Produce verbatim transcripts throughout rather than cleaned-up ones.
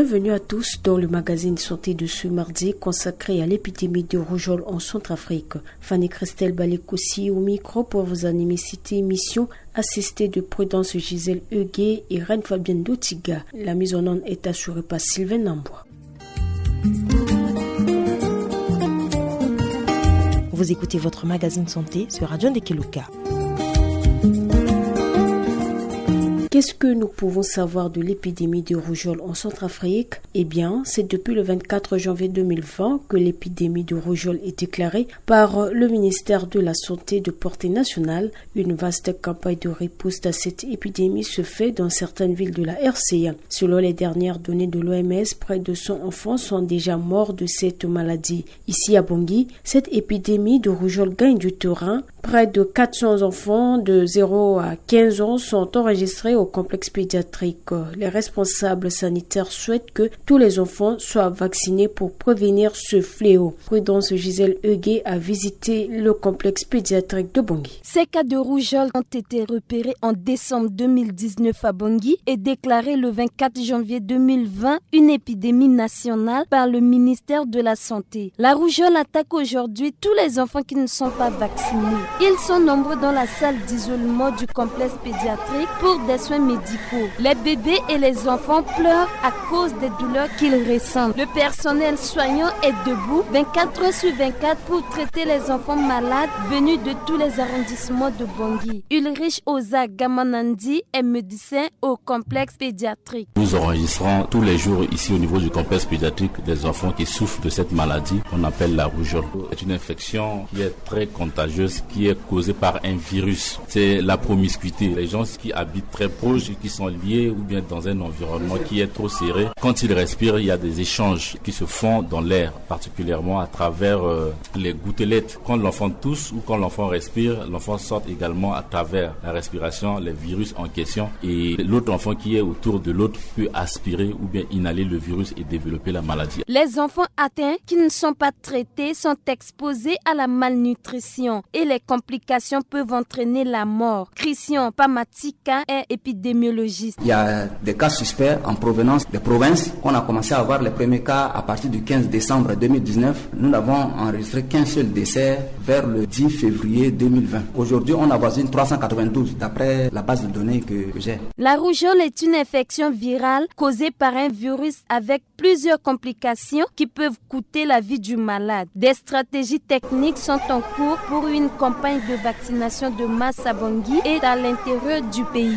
Bienvenue à tous dans le magazine santé de ce mardi consacré à l'épidémie de rougeole en Centrafrique. Fanny Christelle Balekosi au micro pour vous animer cette émission, assistée de Prudence Gisèle Huguet et Reine Fabienne Dotiga. La mise en onde est assurée par Sylvain Nambois. Vous écoutez votre magazine santé sur Radio Ndekeluka. Qu'est-ce que nous pouvons savoir de l'épidémie de rougeole en Centrafrique ? Eh bien, c'est depuis le vingt-quatre janvier deux mille vingt que l'épidémie de rougeole est déclarée par le ministère de la Santé de portée nationale. Une vaste campagne de riposte à cette épidémie se fait dans certaines villes de la R C A. Selon les dernières données de l'O M S, près de cent enfants sont déjà morts de cette maladie. Ici à Bangui, cette épidémie de rougeole gagne du terrain. Près de quatre cents enfants de zéro à quinze ans sont enregistrés au complexe pédiatrique. Les responsables sanitaires souhaitent que tous les enfants soient vaccinés pour prévenir ce fléau. Prudence Gisèle Huguet a visité le complexe pédiatrique de Bangui. Ces cas de rougeole ont été repérés en décembre deux mille dix-neuf à Bangui et déclarés le vingt-quatre janvier deux mille vingt une épidémie nationale par le ministère de la Santé. La rougeole attaque aujourd'hui tous les enfants qui ne sont pas vaccinés. Ils sont nombreux dans la salle d'isolement du complexe pédiatrique pour des soins médicaux. Les bébés et les enfants pleurent à cause des douleurs qu'ils ressentent. Le personnel soignant est debout vingt-quatre heures sur vingt-quatre pour traiter les enfants malades venus de tous les arrondissements de Bangui. Ulrich Oza Gamanandi est médecin au complexe pédiatrique. Nous enregistrons tous les jours ici au niveau du complexe pédiatrique des enfants qui souffrent de cette maladie qu'on appelle la rougeole. C'est une infection qui est très contagieuse, qui est causée par un virus. C'est la promiscuité. Les gens qui habitent très proches, qui sont liés ou bien dans un environnement qui est trop serré, quand ils respirent, il y a des échanges qui se font dans l'air, particulièrement à travers, euh, les gouttelettes. Quand l'enfant tousse ou quand l'enfant respire, l'enfant sort également à travers la respiration les virus en question et l'autre enfant qui est autour de l'autre peut aspirer ou bien inhaler le virus et développer la maladie. Les enfants atteints qui ne sont pas traités sont exposés à la malnutrition et les complications peuvent entraîner la mort. Christian Pamatika est épidémiologiste. Il y a des cas suspects en provenance des provinces. On a commencé à avoir les premiers cas à partir du quinze décembre deux mille dix-neuf. Nous n'avons enregistré qu'un seul décès vers le dix février deux mille vingt. Aujourd'hui, on avoisine trois cent quatre-vingt-douze d'après la base de données que, que j'ai. La rougeole est une infection virale causée par un virus avec plusieurs complications qui peuvent coûter la vie du malade. Des stratégies techniques sont en cours pour une campagne de vaccination de masse à Bangui et à l'intérieur du pays.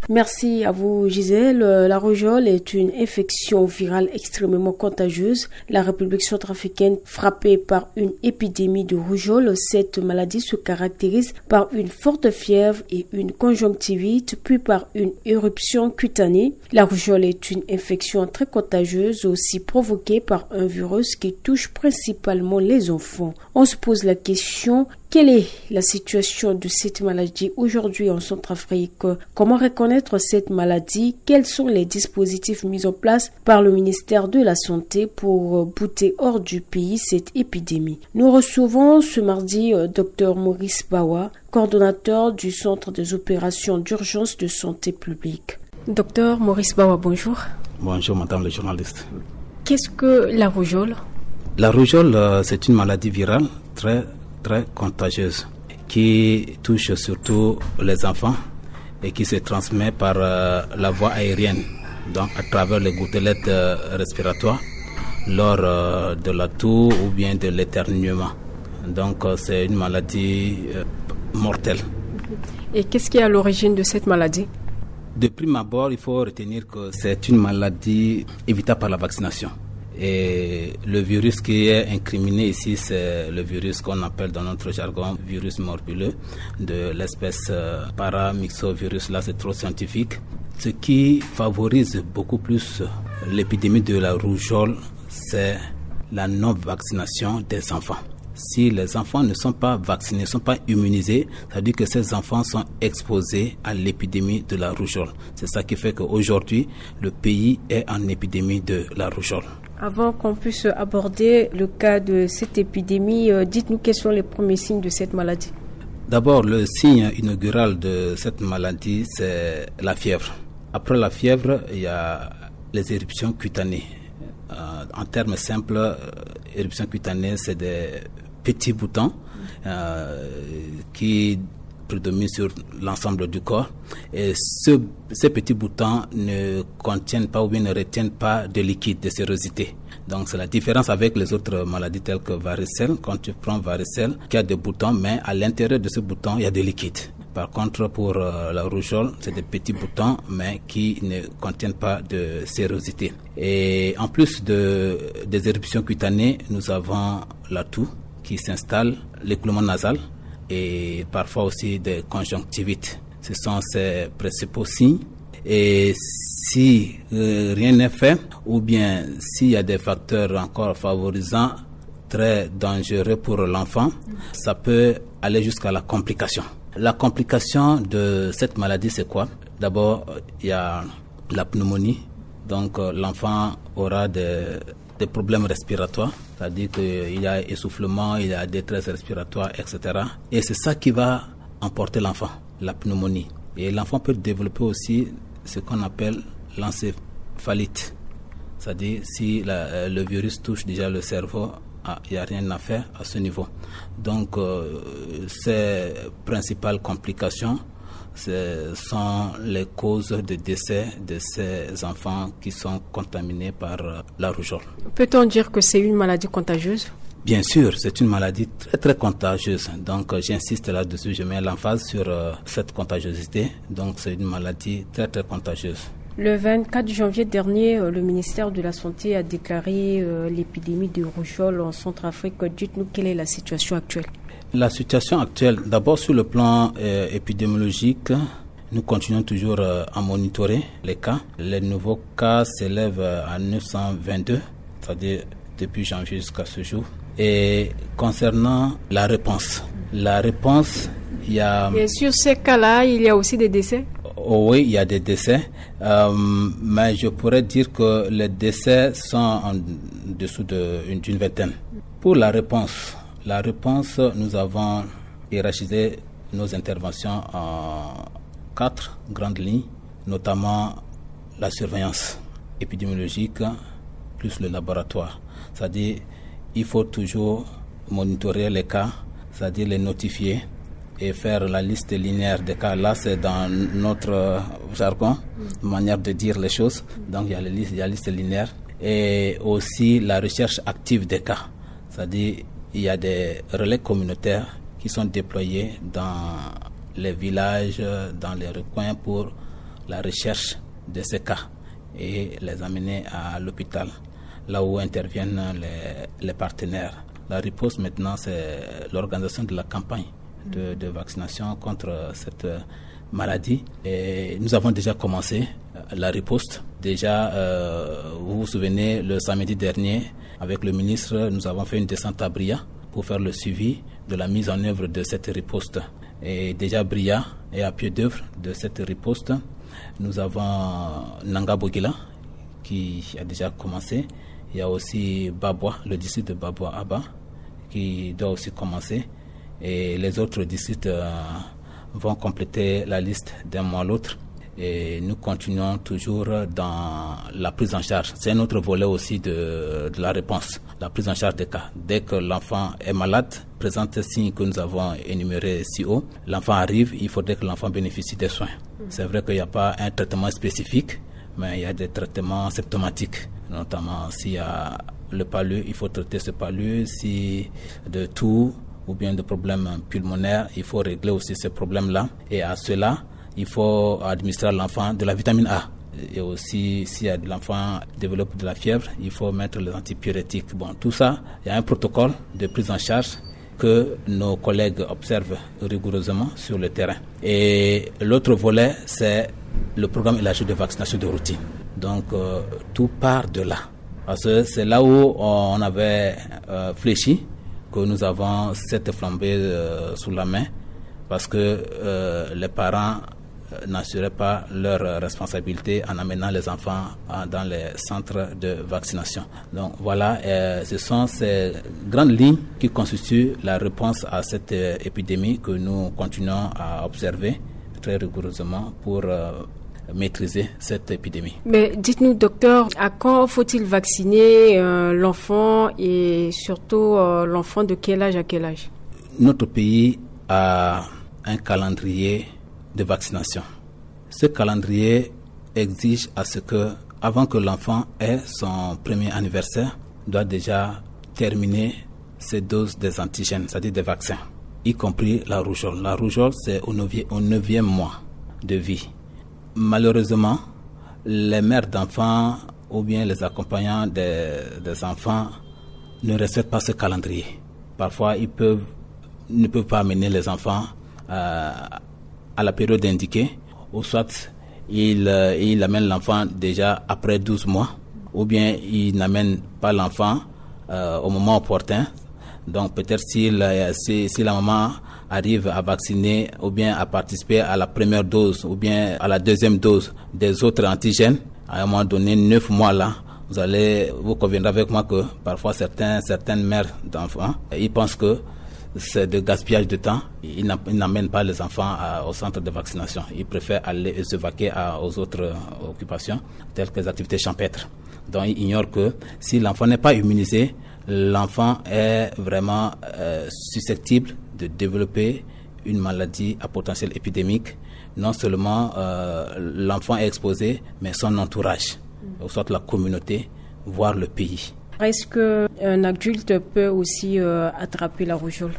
Merci à vous, Gisèle. Euh, la rougeole est une infection virale extrêmement contagieuse. La République centrafricaine frappée par une épidémie de rougeole. Cette maladie se caractérise par une forte fièvre et une conjonctivite, puis par une éruption cutanée. La rougeole est une infection très contagieuse, aussi provoquée par un virus qui touche principalement les enfants. On se pose la question, quelle est la situation de cette maladie aujourd'hui en Centrafrique ? Comment reconnaître cette maladie ? Quels sont les dispositifs mis en place par le ministère de la Santé pour, euh, bouter hors du pays cette épidémie ? Nous recevons ce mardi, euh, Dr Maurice Bawa, coordonnateur du Centre des opérations d'urgence de santé publique. Dr Maurice Bawa, bonjour. Bonjour, madame le journaliste. Qu'est-ce que la rougeole ? La rougeole, euh, c'est une maladie virale très, très contagieuse qui touche surtout les enfants et qui se transmet par, euh, la voie aérienne, donc à travers les gouttelettes, euh, respiratoires, lors, euh, de la toux ou bien de l'éternuement. Donc, euh, c'est une maladie, euh, mortelle. Et qu'est-ce qui est à l'origine de cette maladie ? De prime abord, il faut retenir que c'est une maladie évitable par la vaccination. Et le virus qui est incriminé ici, c'est le virus qu'on appelle dans notre jargon virus morbuleux de l'espèce, euh, paramyxovirus. Là, c'est trop scientifique. Ce qui favorise beaucoup plus l'épidémie de la rougeole, c'est la non-vaccination des enfants. Si les enfants ne sont pas vaccinés, ne sont pas immunisés, ça veut dire que ces enfants sont exposés à l'épidémie de la rougeole. C'est ça qui fait qu'aujourd'hui, le pays est en épidémie de la rougeole. Avant qu'on puisse aborder le cas de cette épidémie, euh, dites-nous quels sont les premiers signes de cette maladie. D'abord, le signe inaugural de cette maladie, c'est la fièvre. Après la fièvre, il y a Les éruptions cutanées. Euh, en termes simples, euh, éruptions cutanées, c'est des petits boutons euh, qui prédominent sur l'ensemble du corps. Et ce, ces petits boutons ne contiennent pas ou bien ne retiennent pas de liquide, de sérosité. Donc c'est la différence avec les autres maladies telles que varicelle. Quand tu prends varicelle, qui a des boutons, mais à l'intérieur de ce bouton, il y a de liquide. Par contre, pour euh, la rougeole, c'est des petits boutons, mais qui ne contiennent pas de sérosité. Et en plus de, des éruptions cutanées, nous avons la toux qui s'installe, l'écoulement nasal et parfois aussi des conjonctivites. Ce sont ces principaux signes. Et si euh, rien n'est fait, ou bien s'il y a des facteurs encore favorisants, très dangereux pour l'enfant, ça peut aller jusqu'à la complication. La complication de cette maladie, c'est quoi ? D'abord, il y a la pneumonie. Donc, euh, l'enfant aura des, des problèmes respiratoires, c'est-à-dire qu'il y a essoufflement, il y a détresse respiratoire, et cetera. Et c'est ça qui va emporter l'enfant, la pneumonie. Et l'enfant peut développer aussi ce qu'on appelle l'encéphalite. C'est-à-dire, si la, euh, le virus touche déjà le cerveau, ah, il n'y a rien à faire à ce niveau. Donc, euh, ces principales complications, ce sont les causes de décès de ces enfants qui sont contaminés par euh, la rougeole. Peut-on dire que c'est une maladie contagieuse ? Bien sûr, c'est une maladie très, très contagieuse. Donc, euh, j'insiste là-dessus, je mets l'emphase sur euh, cette contagiosité. Donc, c'est une maladie très, très contagieuse. Le vingt-quatre janvier dernier, euh, le ministère de la Santé a déclaré euh, l'épidémie de rougeole en Centrafrique. Dites-nous quelle est la situation actuelle. La situation actuelle, d'abord sur le plan euh, épidémiologique, nous continuons toujours euh, à monitorer les cas. Les nouveaux cas s'élèvent euh, à neuf cent vingt-deux, c'est-à-dire depuis janvier jusqu'à ce jour. Et concernant la réponse, la réponse, il y a... Et sur ces cas-là, il y a aussi des décès ? Oh oui, il y a des décès. Euh, mais je pourrais dire que les décès sont en dessous de, d'une vingtaine. Pour la réponse, la réponse, nous avons hiérarchisé nos interventions en quatre grandes lignes, notamment la surveillance épidémiologique plus le laboratoire. C'est-à-dire, il faut toujours monitorer les cas, c'est-à-dire les notifier et faire la liste linéaire des cas. Là, c'est dans notre jargon, manière de dire les choses. Donc, il y a la liste, il y a la liste linéaire et aussi la recherche active des cas. C'est-à-dire, il y a des relais communautaires qui sont déployés dans les villages, dans les recoins pour la recherche de ces cas et les amener à l'hôpital, là où interviennent les, les partenaires. La riposte maintenant, c'est l'organisation de la campagne de, de vaccination contre cette maladie. Et nous avons déjà commencé la riposte. Déjà, euh, vous vous souvenez, le samedi dernier, avec le ministre, nous avons fait une descente à Bria pour faire le suivi de la mise en œuvre de cette riposte. Et déjà Bria est à pied d'œuvre de cette riposte. Nous avons Nanga Bogila qui a déjà commencé. Il y a aussi Babwa, le district de Babwa Aba, qui doit aussi commencer. Et les autres districts euh, vont compléter la liste d'un mois à l'autre. Et nous continuons toujours dans la prise en charge. C'est un autre volet aussi de, de la réponse, la prise en charge des cas. Dès que l'enfant est malade, présente signe que nous avons énuméré si haut, l'enfant arrive, il faudrait que l'enfant bénéficie des soins. C'est vrai qu'il n'y a pas un traitement spécifique, mais il y a des traitements symptomatiques, notamment s'il y a le palu, il faut traiter ce palu, si de toux ou bien de problèmes pulmonaires, il faut régler aussi ces problèmes-là. Et à cela, il faut administrer à l'enfant de la vitamine A. Et aussi, si l'enfant développe de la fièvre, il faut mettre les antipyrétiques. Bon, tout ça, il y a un protocole de prise en charge que nos collègues observent rigoureusement sur le terrain. Et l'autre volet, c'est le programme élargi de vaccination de routine. Donc, euh, tout part de là. Parce que c'est là où on avait euh, fléchi que nous avons cette flambée euh, sous la main, parce que euh, les parents euh, n'assuraient pas leur responsabilité en amenant les enfants euh, dans les centres de vaccination. Donc voilà, euh, ce sont ces grandes lignes qui constituent la réponse à cette euh, épidémie que nous continuons à observer très rigoureusement pour euh, maîtriser cette épidémie. Mais dites-nous, docteur, à quand faut-il vacciner, euh, l'enfant et surtout, euh, l'enfant de quel âge à quel âge ? Notre pays a un calendrier de vaccination. Ce calendrier exige à ce que, avant que l'enfant ait son premier anniversaire, doit déjà terminer ses doses des antigènes, c'est-à-dire des vaccins, y compris la rougeole. La rougeole, c'est au neuvième, au neuvième mois de vie. Malheureusement, les mères d'enfants ou bien les accompagnants des, des enfants ne respectent pas ce calendrier. Parfois, ils peuvent, ne peuvent pas amener les enfants, euh, à la période indiquée, ou soit ils, euh, ils amènent l'enfant déjà après douze mois, ou bien ils n'amènent pas l'enfant, euh, au moment opportun. Donc peut-être si la, si, si la maman arrive à vacciner ou bien à participer à la première dose ou bien à la deuxième dose des autres antigènes, à un moment donné, neuf mois là, vous allez, vous conviendrez avec moi que parfois certains, certaines mères d'enfants, ils pensent que c'est de gaspillage de temps. Ils n'am-, ils n'amènent pas les enfants à, au centre de vaccination. Ils préfèrent aller se vaquer à, aux autres, euh, occupations, telles que les activités champêtres. Donc, ils ignorent que si l'enfant n'est pas immunisé, l'enfant est vraiment, euh, susceptible de développer une maladie à potentiel épidémique. Non seulement, euh, l'enfant est exposé, mais son entourage, ou soit la communauté, voire le pays. Est-ce que un adulte peut aussi, euh, attraper la rougeole ?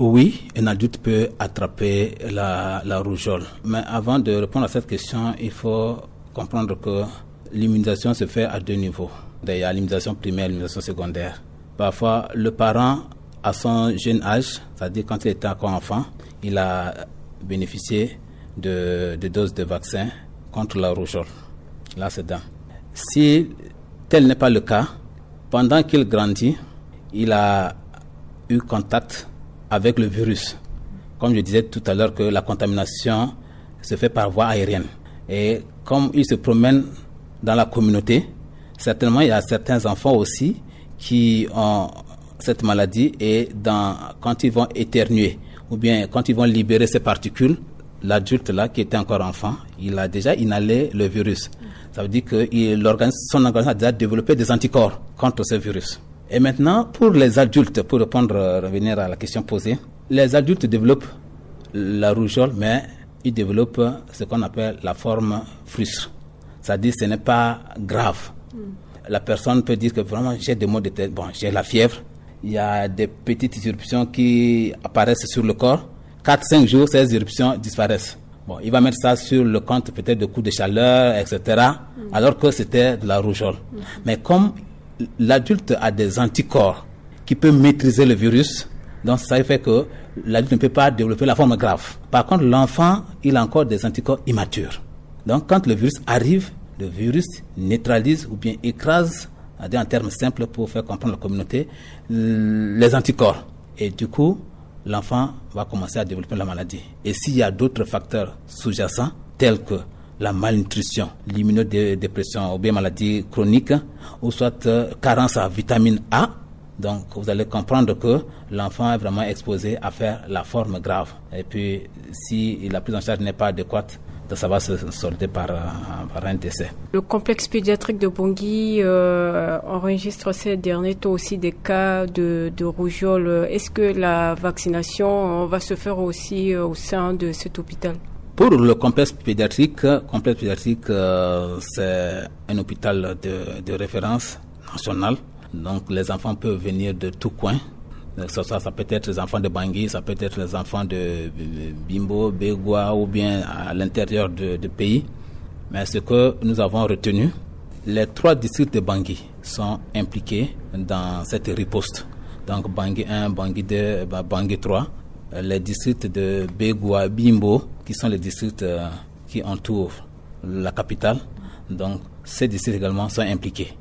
Oui, un adulte peut attraper la, la rougeole. Mais avant de répondre à cette question, il faut comprendre que l'immunisation se fait à deux niveaux. Il y a l'immunisation primaire et l'immunisation secondaire. Parfois, le parent, à son jeune âge, c'est-à-dire quand il était encore enfant, il a bénéficié de, de doses de vaccin contre la rougeole. Là, c'est dedans. Si tel n'est pas le cas, pendant qu'il grandit, il a eu contact avec le virus. Comme je disais tout à l'heure, que la contamination se fait par voie aérienne. Et comme il se promène dans la communauté, certainement il y a certains enfants aussi qui ont cette maladie et dans, quand ils vont éternuer ou bien quand ils vont libérer ces particules, l'adulte là qui était encore enfant, il a déjà inhalé le virus. Ça veut dire que il, l'organisme, son organisme a déjà développé des anticorps contre ce virus. Et maintenant, pour les adultes, pour répondre, euh, revenir à la question posée, les adultes développent la rougeole, mais ils développent ce qu'on appelle la forme frustre. C'est-à-dire, ce n'est pas grave. La personne peut dire que vraiment, j'ai des maux de tête, bon, j'ai la fièvre. Il y a des petites éruptions qui apparaissent sur le corps. Quatre, cinq jours, ces éruptions disparaissent. Bon, il va mettre ça sur le compte peut-être de coups de chaleur, et cetera, alors que c'était de la rougeole. Mais comme l'adulte a des anticorps qui peut maîtriser le virus, donc ça fait que l'adulte ne peut pas développer la forme grave. Par contre, l'enfant, il a encore des anticorps immatures. Donc, quand le virus arrive, le virus neutralise ou bien écrase, en termes simples pour faire comprendre la communauté, les anticorps. Et du coup, l'enfant va commencer à développer la maladie. Et s'il y a d'autres facteurs sous-jacents, tels que la malnutrition, l'immunodépression ou bien maladie chronique, ou soit, euh, carence en vitamine A, donc vous allez comprendre que l'enfant est vraiment exposé à faire la forme grave. Et puis, si la prise en charge n'est pas adéquate, donc ça va se solder par, euh, par un décès. Le complexe pédiatrique de Bangui, euh, enregistre ces derniers temps aussi des cas de, de rougeole. Est-ce que la vaccination va se faire aussi, euh, au sein de cet hôpital ? Pour le complexe pédiatrique, complexe pédiatrique, euh, c'est un hôpital de, de référence nationale. Donc, les enfants peuvent venir de tout coin. Euh, ça, ça, ça peut être les enfants de Bangui, ça peut être les enfants de, euh, Bimbo, Begoua ou bien à l'intérieur de, de pays. Mais ce que nous avons retenu, les trois districts de Bangui sont impliqués dans cette riposte. Donc, Bangui un, Bangui deux, Ba-, Bangui trois, euh, les districts de Begoua, Bimbo, qui sont les districts, euh, qui entourent la capitale. Donc, ces districts également sont impliqués.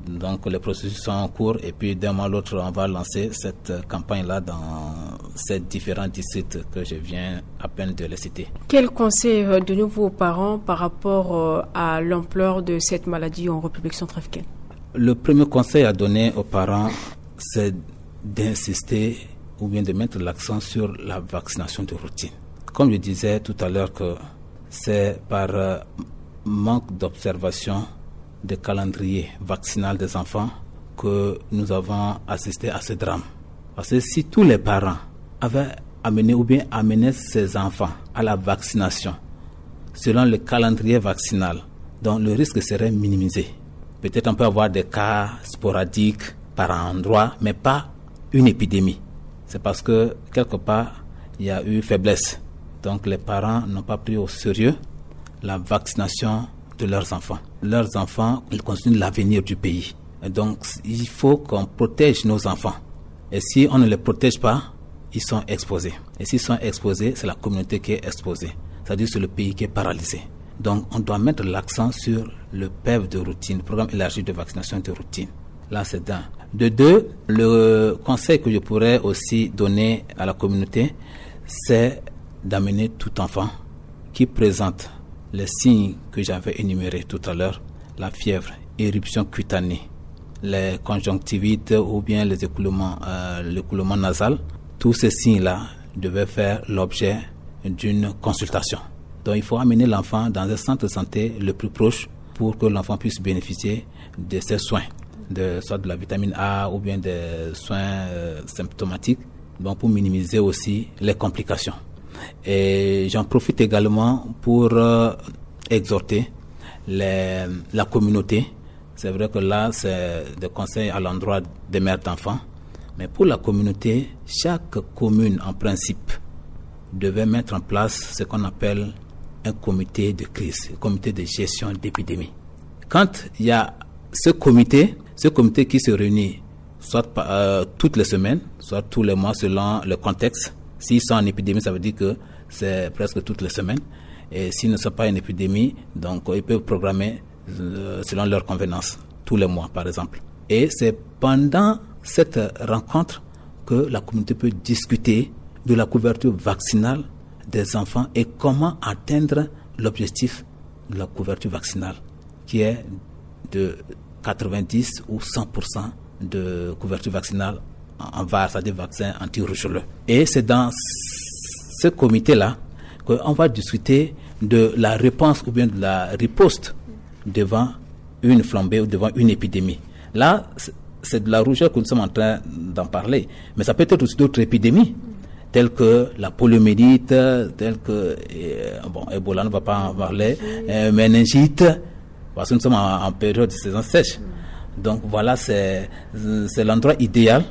Donc, les processus sont en cours et puis d'un mois à l'autre, on va lancer cette campagne-là dans ces différents districts que je viens à peine de les citer. Quel conseil, euh, donnez-vous aux parents par rapport, euh, à l'ampleur de cette maladie en République centrafricaine ? Le premier conseil à donner aux parents, c'est d'insister ou bien de mettre l'accent sur la vaccination de routine. Comme je disais tout à l'heure que c'est par, euh, manque d'observation de calendrier vaccinal des enfants que nous avons assisté à ce drame. Parce que si tous les parents avaient amené ou bien amené ses enfants à la vaccination selon le calendrier vaccinal, donc le risque serait minimisé. Peut-être on peut avoir des cas sporadiques par endroit, mais pas une épidémie. C'est parce que quelque part, il y a eu faiblesse. Donc les parents n'ont pas pris au sérieux la vaccination de leurs enfants. Leurs enfants, ils constituent l'avenir du pays. Et donc, il faut qu'on protège nos enfants. Et si on ne les protège pas, ils sont exposés. Et s'ils sont exposés, c'est la communauté qui est exposée. C'est-à-dire c'est le pays qui est paralysé. Donc, on doit mettre l'accent sur le P E V de routine, le programme élargi de vaccination de routine. Là, c'est d'un. De deux, le conseil que je pourrais aussi donner à la communauté, c'est d'amener tout enfant qui présente les signes que j'avais énumérés tout à l'heure, la fièvre, éruption cutanée, les conjonctivites ou bien les écoulements, euh, l'écoulement nasal, tous ces signes-là devaient faire l'objet d'une consultation. Donc il faut amener l'enfant dans un centre de santé le plus proche pour que l'enfant puisse bénéficier de ces soins, de, soit de la vitamine A ou bien des soins euh, symptomatiques, donc pour minimiser aussi les complications. Et j'en profite également pour euh, exhorter les, la communauté. C'est vrai que là, c'est des conseils à l'endroit des mères d'enfants. Mais pour la communauté, chaque commune, en principe, devait mettre en place ce qu'on appelle un comité de crise, un comité de gestion d'épidémie. Quand il y a ce comité, ce comité qui se réunit soit euh, toutes les semaines, soit tous les mois selon le contexte. S'ils sont en épidémie, ça veut dire que c'est presque toutes les semaines. Et s'ils ne sont pas en épidémie, donc ils peuvent programmer euh, selon leur convenance, tous les mois par exemple. Et c'est pendant cette rencontre que la communauté peut discuter de la couverture vaccinale des enfants et comment atteindre l'objectif de la couverture vaccinale qui est de quatre-vingt-dix ou cent pour cent de couverture vaccinale en var, c'est-à-dire vaccin anti-rougeoleux. Et c'est dans ce comité-là qu'on va discuter de la réponse ou bien de la riposte devant une flambée ou devant une épidémie. Là, c'est de la rougeole que nous sommes en train d'en parler, mais ça peut être aussi d'autres épidémies telles que la poliomyélite, telles que euh, bon, Ebola, on ne va pas en parler, euh, méningite, parce que nous sommes en, en période de saison sèche. Donc voilà, c'est l'endroit idéal,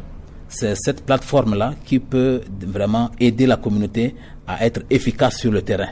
c'est cette plateforme-là qui peut vraiment aider la communauté à être efficace sur le terrain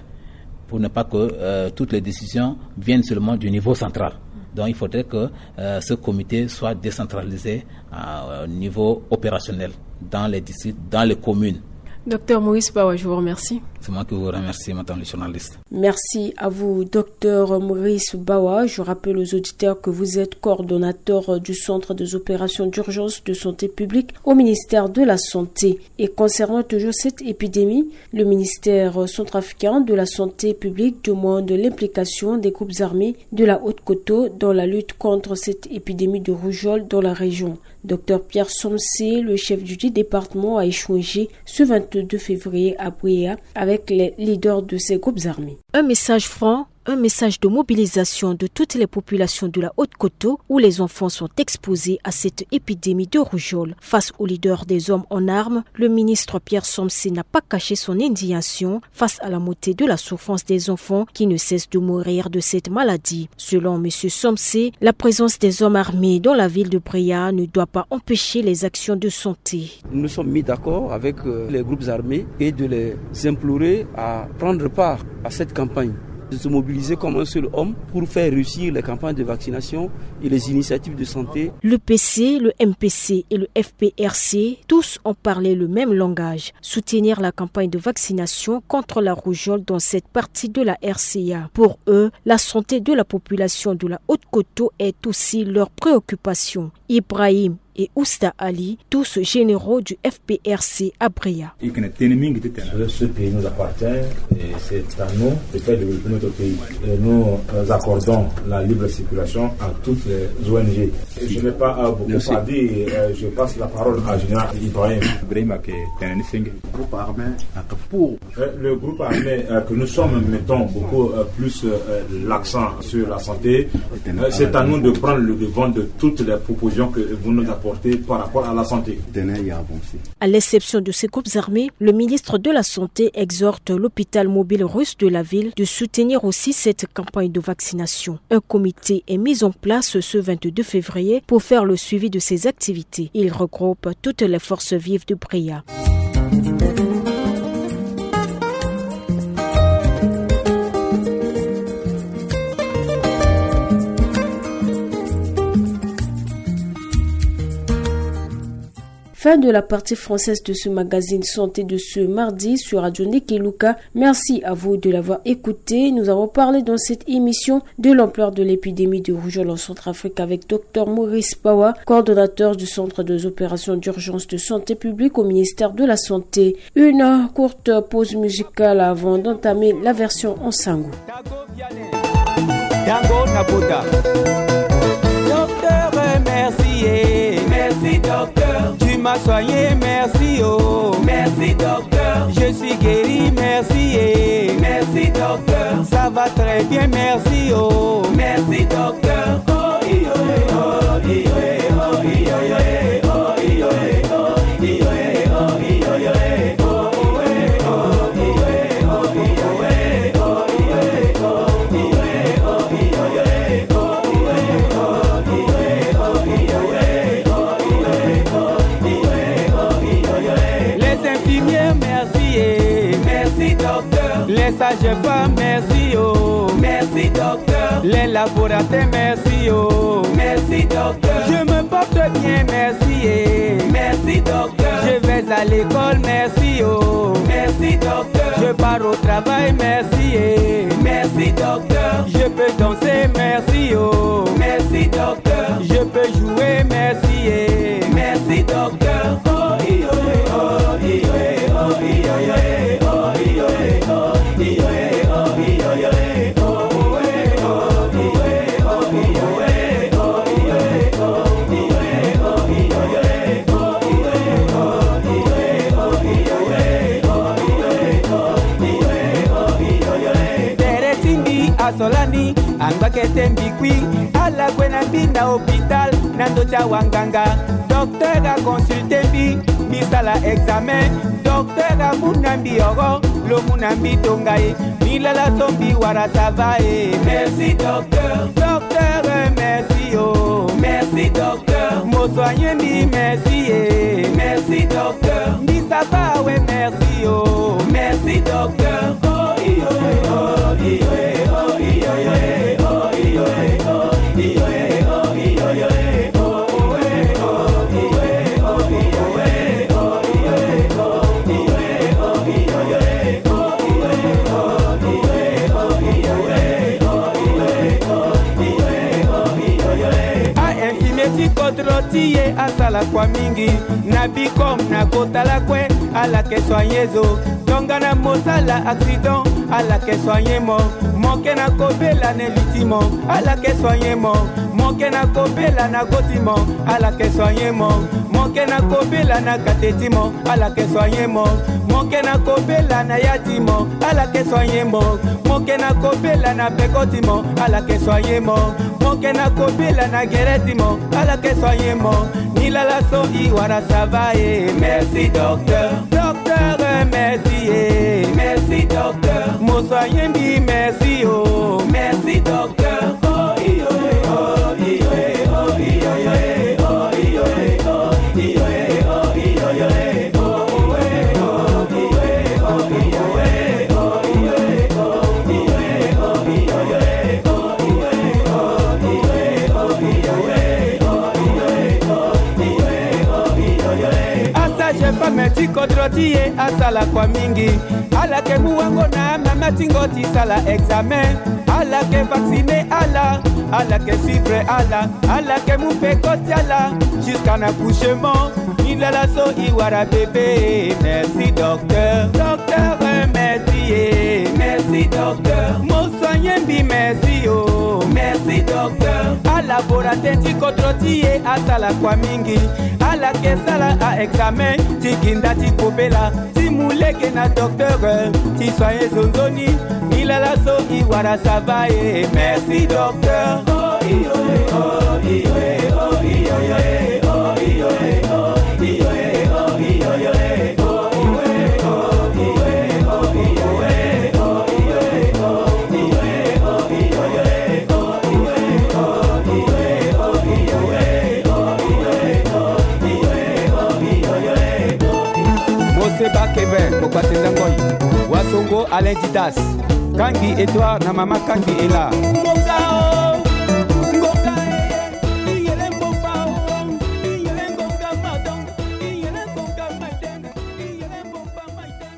pour ne pas que euh, toutes les décisions viennent seulement du niveau central. Donc il faudrait que euh, ce comité soit décentralisé au niveau opérationnel dans les districts, dans les communes. Docteur Maurice Bawa, je vous remercie. C'est moi qui vous remercie, madame le journaliste. Merci à vous, docteur Maurice Bawa. Je rappelle aux auditeurs que vous êtes coordonnateur du Centre des opérations d'urgence de santé publique au ministère de la Santé. Et concernant toujours cette épidémie, le ministère centrafricain de la Santé publique demande l'implication des groupes armés de la Haute-Koto dans la lutte contre cette épidémie de rougeole dans la région. Docteur Pierre Somsé, le chef du dit département, a échangé ce vingt-deux février à Bouéa avec les leaders de ces groupes armés. Un message franc, un message de mobilisation de toutes les populations de la Haute-Koto où les enfants sont exposés à cette épidémie de rougeole. Face aux leaders des hommes en armes, le ministre Pierre Somsé n'a pas caché son indignation face à la montée de la souffrance des enfants qui ne cessent de mourir de cette maladie. Selon M. Somsé, la présence des hommes armés dans la ville de Bouéa ne doit pas empêcher les actions de santé. Nous nous sommes mis d'accord avec euh, les groupes armés et de les implorer à prendre part à cette campagne, de se mobiliser comme un seul homme pour faire réussir les campagnes de vaccination et les initiatives de santé. Le P C, le M P C et le F P R C, tous ont parlé le même langage, soutenir la campagne de vaccination contre la rougeole dans cette partie de la R C A. Pour eux, la santé de la population de la Haute-Koto est aussi leur préoccupation. Ibrahim et Ousta Ali, tous généraux du F P R C à Bria. E yeke na tënë mingi titene ce pays nous appartient et c'est à nous de faire développer notre pays. Et nous accordons la libre circulation à toutes les O N G. Je n'ai pas beaucoup à dire, je passe la parole à Général Ibrahim. Ibrahim ayeke tene ni senge. Groupe armé pour le groupe armé que nous sommes, mettons beaucoup plus l'accent sur la santé. C'est à nous de prendre le devant de toutes les propositions que vous nous apportez par rapport à la santé. À l'exception de ces groupes armés, le ministre de la Santé exhorte l'hôpital mobile russe de la ville de soutenir aussi cette campagne de vaccination. Un comité est mis en place ce vingt-deux février pour faire le suivi de ces activités. Il regroupe toutes les forces vives de Bria. Fin de la partie française de ce magazine Santé de ce mardi sur Radio Niki Luka. Merci à vous de l'avoir écouté. Nous avons parlé dans cette émission de l'ampleur de l'épidémie de rougeole en Centrafrique avec Dr Maurice Pawa, coordonnateur du Centre des opérations d'urgence de santé publique au ministère de la Santé. Une courte pause musicale avant d'entamer la version en sango. Docteur, merci, eh. Merci, docteur. Tu m'as soigné, merci, oh. Merci, docteur. Je suis guéri, merci, eh. Merci, docteur. Ça va très bien, merci, oh. Merci, docteur. Les infirmières, merci, eh. Merci, docteur. Les sages-femmes, merci, oh. Merci, docteur. Les laboratoires, merci, oh. Merci, docteur. Je me porte bien, merci, eh. Merci, docteur. Je vais à l'école, merci, oh. Merci, docteur. Je pars au travail, merci, eh. Merci, docteur. Je peux danser, merci, oh. Merci, docteur. Je peux jouer, merci, eh. Merci, docteur. Tere ti mbi asolani, angba kete mbi kui. Ala gue na mbi na hôpital, na ndö ti awanganga. Docteur aconsulte mbi, mbi sala examen. Docteur amu na mbi oro, lo mu na mbi tonga e. Mbi lala so mbi wara, ça va e. Merci, docteur. Docteur, merci, oh. Merci, docteur. Mo soigner mbi, merci, eh. Merci, docteur. Mbi, ça va, ouais, merci, oh. Merci, docteur. A infirmier ti kodro ti e asala kua mingi. Na Bicom na kota lakue, ala ke soigner zo. Tongana mo sala accident, ala ke soigner mo. Mo ke na kobela na li ti mo, ala ke soigner mo. Mo ke na kobela na go ti mo, ala ke soigner mo. Mo ke na kobela na kate ti mo, ala ke soigner mo. Mo ke na kobela na ya ti mo, ala ke soigner mo. Mo ke na kobela na peko ti mo, ala ke soigner mo. Mo ke na kobela na gere ti mo, ala ke soigner mo. Ni lala so i wara, ça va e. Merci, docteur. Docteur, merci e. Merci, docteur. Mo soigner mbi, merci, oh. Merci, docteur. Asa Jeune femme ti kodro ti e asala kua mingi. Ala yeke mu wango na mama ti ngo ti sala examen. Ala yeke vacciner ala. Ala yeke suivre ala. Ala yeke mu peko ti ala jusqu'à na accouchement. Ni lala so e wara bébé. Merci docteur. Docteur, merci e. Merci docteur. Mo soigner mbi, merci o. Merci docteur. Alaborateur ti kodro ti e asala kua mingi. Ala yeke sala a-examen ti gi nda ti kobela, ti mu lege na docteur, ti soigner zo nzoni. Ni lala so e wara, ça va e. Merci docteur. Moseba Kevin, Kokpate Nzangoi, Wasongo Alain Didas, Kangi Edouard na mama Kangi Ela. Ngonga o, ngonga e, iyele ngonga o, iyele ngonga madon, iyele ngonga madon, iyele ngonga madon.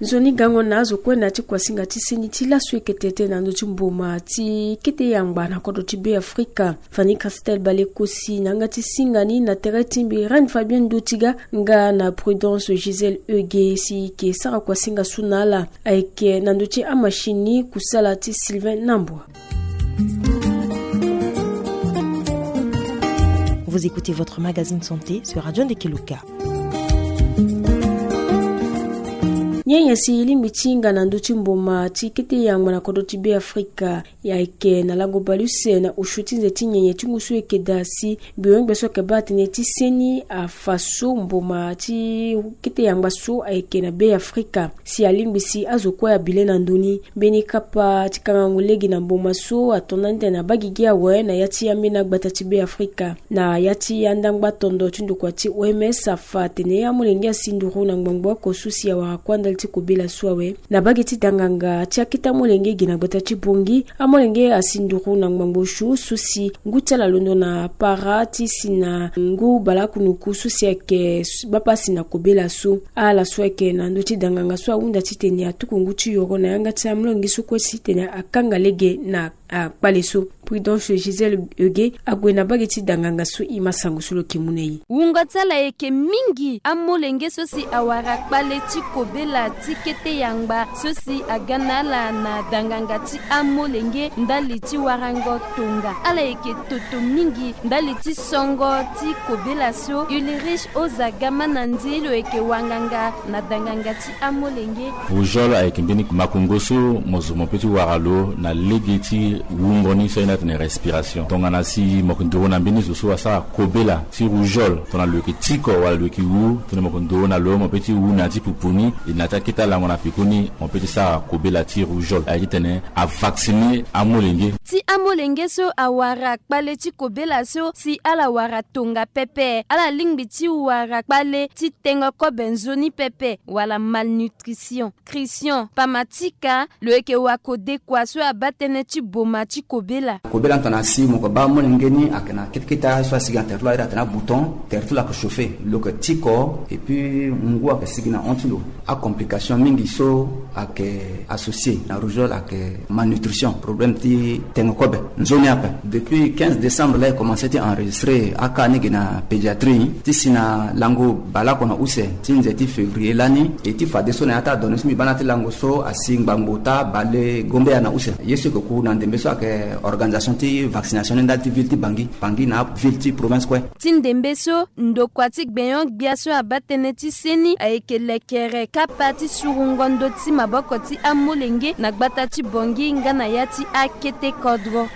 Nzoni gango na azo kue na ti kuasinga ti seni ti laso ekete tënë na ndö ti mboma ti kete yangba na kodro ti Beafrika. Fanny Christelle Balekosi na yanga ti singa ni na tere ti mbi Reine Fabienne Dotiga nga na Prudence Gisèle Euge si e yeke sara kuasinga so na ala. Ayeke na ndö ti amashine ni kusala ti Sylvain Nambwa. Vous écoutez votre magazine santé sur Radio Ndekeluka. Nyenye si e lingbi ti hinga na ndö ti mboma ti kete yangba na kodro ti Beafrika. Ayeke na lango baleuse na osio ti nze ti nyenye ti ngu so e yeke daa si mbi hongbe so ayeke baa tënë ti seni afa so mboma ti kete yangba so ayeke na Beafrika. Si alingbi si azo kue abi le na ndö ni. Mbeni kapa ti kangango lege na mboma so ato nda ni tene abaa gigi awe na ya ti ambeni agbata ti Beafrika. Na ya ti andangba tondo ti ndokua ti O M S afa atene amolenge asi nduru na ngbangbo oko so si awara kua ndali ti kobela so awe. Na bage ti danganga ti akete amolenge ge na gbata ti Bangui, amolenge asi nduru na ngbangbo osio so si ngu ti ala londo na para ti si na ngu baleakunuku so si ayeke baa pasi na kobela so. Ala so ayeke na ndö ti danganga so ahunda titene atuku ngu ti yoro na yanga ti amolenge so kue titene akanga lege na akpale so. Prudence Gisèle Euge ague na bage ti danganga so e ma sango so lo yeke mu na e. Wungo ti ala ayeke mingi amolenge so si awara kpale ti kobela ti kete yangba so si aga na ala na danganga ti amolenge ndali ti warango tonga. Ala yeke toto mingi ndali ti songo ti kobela so. Ulrich Ozaga Manandi lo yeke wanganga na danganga ti amolenge. Rougeole ayeke mbeni makongo so mo zo mo pe ti wara lo na lege ti wungo ni so aye ni atene respiration. Tongana si mo yeke nduru na mbeni zo so asara kobela ti rougeole, tongana lo yeke tiko wala lo yeke wu, tongana mo yeke nduru na lo mo pe ti wu na ya ti pupu ni, e na ya ti akete alango na pekoni mo pe ti sara kobela ti rougeole. Aye titene avacciner amolenge. Ti amolenge so awara kpale ti kobela so si ala wara tonga pepe, ala lingbi ti wara kpale ti tengo kobe nzoni pepe wala malnutrition. Christian Pamatika, lo yeke wakodekua so abaa tënë ti boma ti kobela. Kobela tongana si mo yeke baa amolenge ni ayeke na ketekete so asigi na tere ti lo, aye atene abouton, tere ti lo ayeke chauffer, lo yeke tiko, et puis ngu ayeke sigi na hon ti lo. Acomplication mingi so ayeke associé na rougeole ayeke malnutrition, problème ti tengo kobe nzoni ape. Depuis quinze décembre laa e commencé ti enregistré akaa ni ge na pédiatrie ti si na lango baleoko na use ti nze ti février lani. E ti fadeso na ya ti adonné so mbi baa na ya ti lango so asi ngbangbo ota bale gombeya na use. Ye so e yeke ku na ndembe so ayeke organisation ti vaccination ni ndali ti ville ti Bangui, Bangui na aville ti province kue. Ti ndembe so, ndokua ti gbenyo-gbia so abaa tënë ti seni ayeke lekere kapa ti surungo ndö ti maboko ti amolenge na gbata ti Bangui nga na ya ti akete kodro.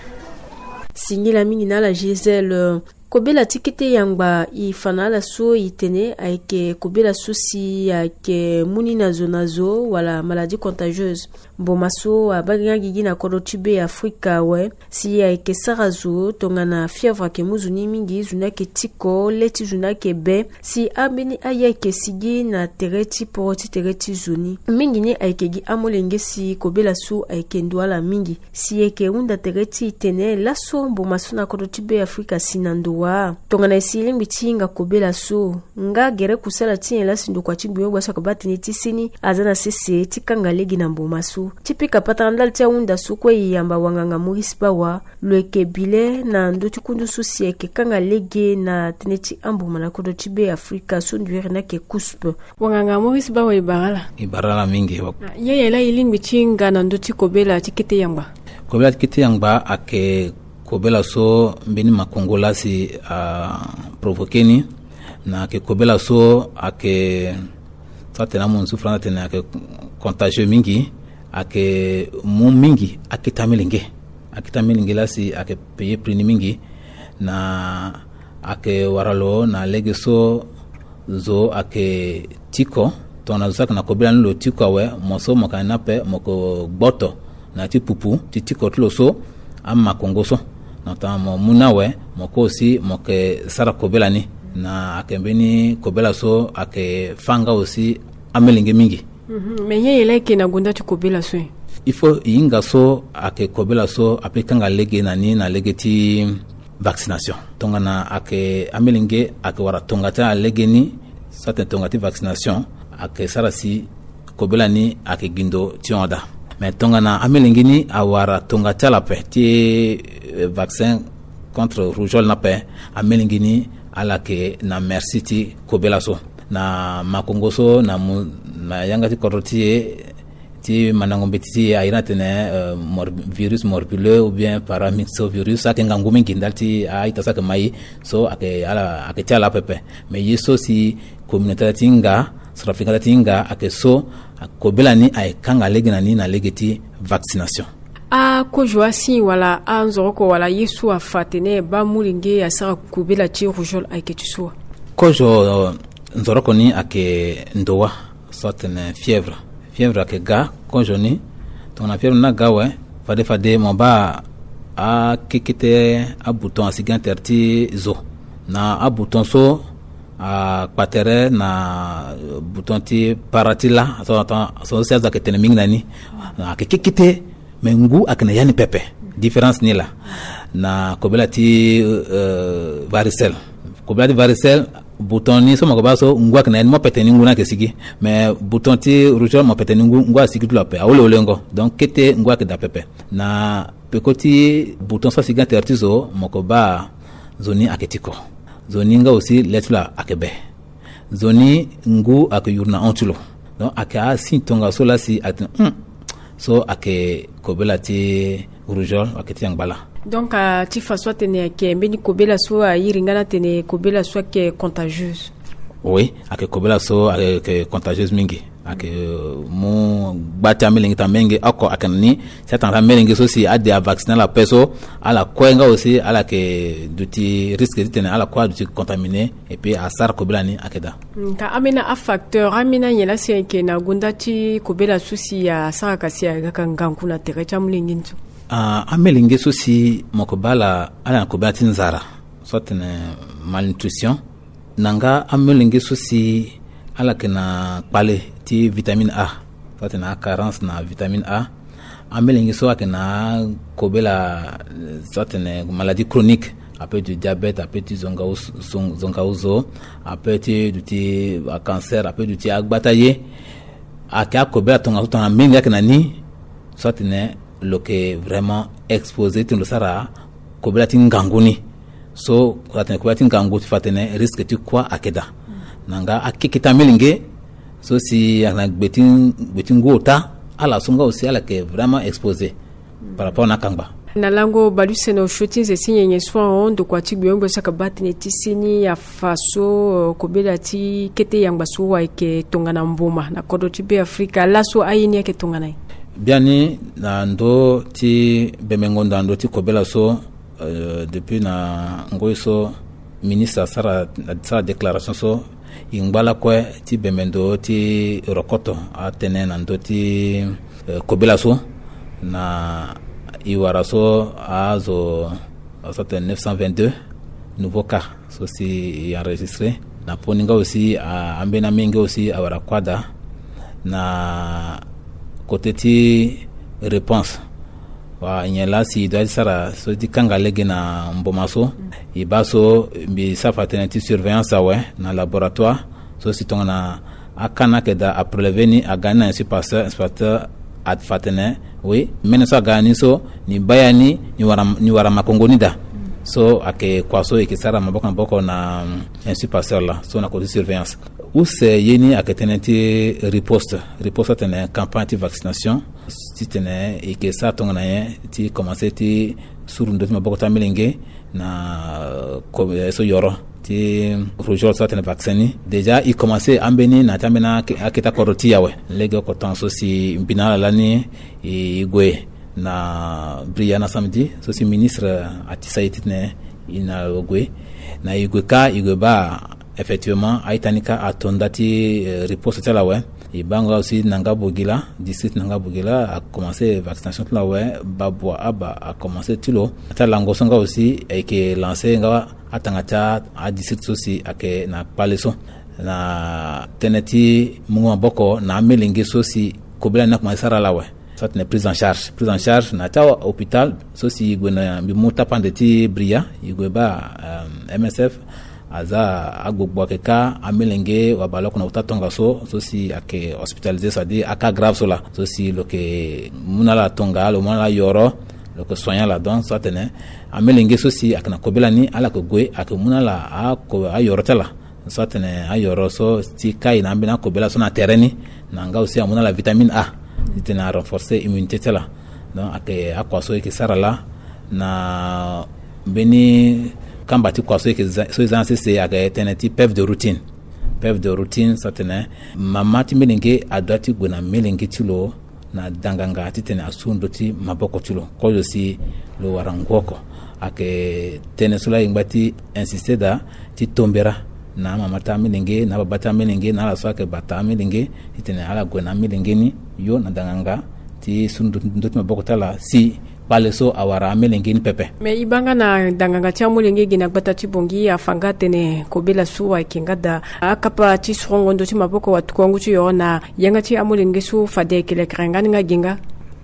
Singila mingi na ala Gisèle. Kobela ti kete yangba e fa na ala so e tene ayeke kobela so si ayeke mu ni na zo na zo wala maladie contagieuse. Mboma so abaa nga gigi na kodro ti be Afrika awe, si ayeke sara zo tongana fièvre ayeke mu zo ni mingi, zo ni ayeke tiko, le ti zo ni ayeke be. Si ambeni aye ayeke sigi na tere ti poro ti tere ti zo ni, mingi ni ayeke gi amolenge si kobela so ayeke ndo ala mingi. Si e yeke hunda tere ti e tene laso mboma so na kodro ti be Afrika asi na ndo wa? Tongana e si e lingbi ti hinga kobela so, nga gere kusala ti nyen laa si ndokua ti gbenyo-gbia so ayeke baa tënë ti seni aza na sese ti kanga lege na mboma so? Ti pika patara ndali ti ahunda so kue, e yamba wanganga Maurice Bawa, lo yeke bi le na ndö ti kundu so si ayeke kanga lege na tënë ti amboma na kodro ti be Afrika so ndo iri ni ayeke COUSP. Wanganga Maurice Bawa, e bara ala. E bara ala mingi. Ah, ye ye laa e lingbi ti hinga na ndö ti kobela ti kete yangba? Kobela ti kete yangba ayeke kobela so mbeni makongo laa si aprovoke ni, na ayeke kobela so ayeke, so atene amu nzu Faransa atene ayeke contagieux mingi, ayeke mu mingi akete amelenge. Akete amelenge laa si ayeke payer prix ni mingi, na ayeke wara lo na lege so zo ayeke tiko. Tongana zo so ayeke na kobela ni lo tiko awe, mo so mo yeke na ni ape, mo yeke gboto na ya ti pupu ti tiko ti lo so, amakongo so. Donc tongana mo mu ni awe, mo kue aussi mo yeke sara kobela ni. Na ayeke mbeni kobela so ayeke fâ nga aussi amelenge mingi. Mhm. Mais ye ye laa e yeke na gonda ti kobela so? Il faut e hinga so ayeke kobela so apeut ti kanga lege na ni na lege ti vaccination. Tongana ayeke amelenge ayeke wara tonga ti ala lege ni, so atene tonga ti vaccination, ayeke sara si kobela ni ayeke gi ndo ti hon daa. Mais tongana amelenge ni awara tonga ti ala ape ti, eh, vaccin contre rougeole ni ape, amelenge ni ala yeke na merci ti kobela so. Na makongo so na mu na yanga ti kodro ti e, ti mandango mbeti ti e, a iri ni atene, euh, mor-, virus morbuleux ou bien paramyxovirus, ayeke ngangu mingi ndali ti a-ita so ayeke ma e. So ayeke ala, ayeke ti ala apepe. Mais ye so si communauté ti hinga, centrafricain ti hinga, ayeke so kobela ni ayeke kanga lege na ni na lege ti vaccination. Akozo, asigne wala anzoroko wala ye so afa atene e baa molenge asara kobela ti rougeole ayeke ti so wa? Kozo, euh, nzoroko ni ayeke ndo wa, so atene fièvre. Fièvre ayeke ga kozo ni. Tongana fièvre ni aga awe, fade fade mo baa akekete abouton asigi na tere ti zo. Na abouton so akpa tere na bouton ti para ti la, so, so, so si azo ayeke tene mingi na ni. Ayeke kekete, me ngu ayeke na ya ni pepe. Différence ni laa na kobela ti, euh, varicelle. Kobela ti varicelle, bouton ni so mo yeke baa so ngu ayeke na ya ni, mo pe tene ni ngu ni ayeke sigi. Me bouton ti rougeole mo pe tene ni ngu, ngu asigi ti lo ape, awolewolengo. Donc kete ngu ayeke daa pepe. Na peko ti bouton so asigi na tere ti zo, mo yeke baa zo ni ayeke tiko. Zo ni nga aussi le ti lo ayeke be. Zo ni ngu ayeke yuru na hon ti lo. Donc ayeke asigne tongaso laa si atene, hmm, so ayeke kobela ti rougeole, ayeke ti yangba laa. Donc, ah, ti fa so atene ayeke mbeni kobela so airi nga ni atene kobela so ayeke contagieuse. Oui, ayeke kobela so ayeke contagieuse mingi. Ayeke, euh, mu gba ti amelenge, ti amelenge oko ayeke na ni. Si atanga ti amelenge so si ade avacciner ala ape so, ala kue nga aussi ala yeke duti risque titene ala kue aduti contaminé. Et puis asara kobela ni ayeke daa. Mm, ka ambeni afacteur, ambeni anyen laa si ayeke na gonda ti kobela so si asara ka si aga ka ngangu na tere ti amolenge ni so? Ah, amelenge so si mo yeke baa ala, ala na kobela ti nzara, so atene malnutrition. Na nga amelenge so si ala yeke na kpale ti vitamine A, so atene acarence na vitamine A. Amelenge so ayeke na akobela, so atene maladie chronique, ape ti diabète, ape ti zonga, zong-, zonga zo, ape ti duti acancer, ape duti agba ti aye. Ayeke akobela tongaso tongana amelenge ayeke na ni, so atene lo yeke vraiment exposé titene lo sara kobela ti ngangu ni. So atene kobela ti ngangu ti fa atene risque ti kuâ ayeke daa. Na nga akekete amelenge so si ayeke na gbe ti, gbe ti ngu ota, ala so nga aussi ala yeke vraiment exposé par rapport na akangba. Na lango baleuse na osio ti nze ti nyenye so ahon, ndokua ti gbenyo-gbia so ayeke baa tënë ti seni afa so, euh, kobela ti kete yangba so ayeke tongana mboma na kodro ti Be Afrika, laso aye ni ayeke tongana nyen? Biani na ndö ti bembengo ndo na ndö ti kobela so, euh, depuis na ngoi so ministre asara, asara déclaration so, E ngba lakue ti bembe ndo ti rokoto atënë na ndö ti, eh, kobela so. Na e wara so azo, azo atene neuf cent vingt-deux nouveau cas so si e enregistré. Na poni nga aussi, a, ambeni amenge aussi awara kuâ daa. Na côté ti réponse, wa nyen laa si e doit ti sara so ti kanga lege na mboma so. E baa so mbi sara fa tënë ti surveillance awe na laboratoire so si tongana akaa ni ayeke daa aprélevé ni, aga ni na inspecteur, inspecteur afa tënë, oui, mene so aga ni so, ni baa ya ni, ni wara, ni wara makongo ni daa. So ayeke kua so e yeke sara maboko na maboko na, mm, inspecteur laa so na côté surveillance. Use ye ni ayeke tënë ti riposte. Riposte atene campagne ti vaccination. Titene e yeke sara tongana nyen ti commencé ti suru ndö ti maboko ti amolenge na, euh, ko-, eh, so yoro ti rougeole so atene vaccin ni. Déjà e commencé ambeni na ya ti ambeni ake-, akete kodro ti e awe. Legeoko temps so si mbi na ala lani e, e gue na Bria na samedi so si ministre atisa e titene e na gue. Na e gue kâ, e gue baa effectivement a-ita ni kâ ato nda ti, eh, riposte ti ala awe. E baa nga aussi na Ngabugila, district na Ngabugila a commencé vaccination ti lo awe. Babua Aba a commencé ti lo. Na ti alango so nga aussi e yeke lancé nga atanga ti a-district so si ayeke na kpale so. Na tënë ti mungo maboko na amolenge so si kobela ni a commencé sara ala awe. So atene prise en charge. Prise en charge na ya ti ahôpital so si e gue na mbi mu tapande ti Bria, e gue baa, euh, M S F aza agbogbo ayeke kâ amolenge wabaleoko na ota tongaso so si ayeke hospitalisé, c'est-à-dire aka grave so laa. So si lo yeke mu na ala tonga, lo mu na ala yoro, lo yeke soigné ala. Donc so atene amolenge so si ayeke na kobela ni ala yeke gue, ayeke mu na ala ako-, ayoro ti ala. So atene ayoro so ti kai na ambeni akobela so na tere ni, na nga aussi amu na ala vitamine A titene a renforcer immunité ti ala. Donc ayeke akua so e yeke sara laa. Na mbeni kamba ti kua so e yeke za-, so e za na sese ayeke tënë ti P E V de routine. P E V de routine so atene mama ti melenge adoit ti gue na melenge ti lo na danganga titene asu ndö ti maboko ti lo kozo si lo wara ngu oko. Ayeke tënë so laa e ngba ti insisté daa ti tombera na amama ti amelenge, na ababa ti amelenge, na ala so ayeke bata amelenge, titene ala gue na amelenge ni yo na danganga ti su ndö, ndö ti maboko ti ala si kpale so awara amelenge ni pepe. Mais e baa nga na danganga ti amolenge ge na gbata ti Bangui afa nga atene kobela so ayeke nga daa akapa ti sorongo ndö ti maboko watukuangu ti yoro na yanga ti amolenge so fade ayeke lekere nga ni nga ge nga.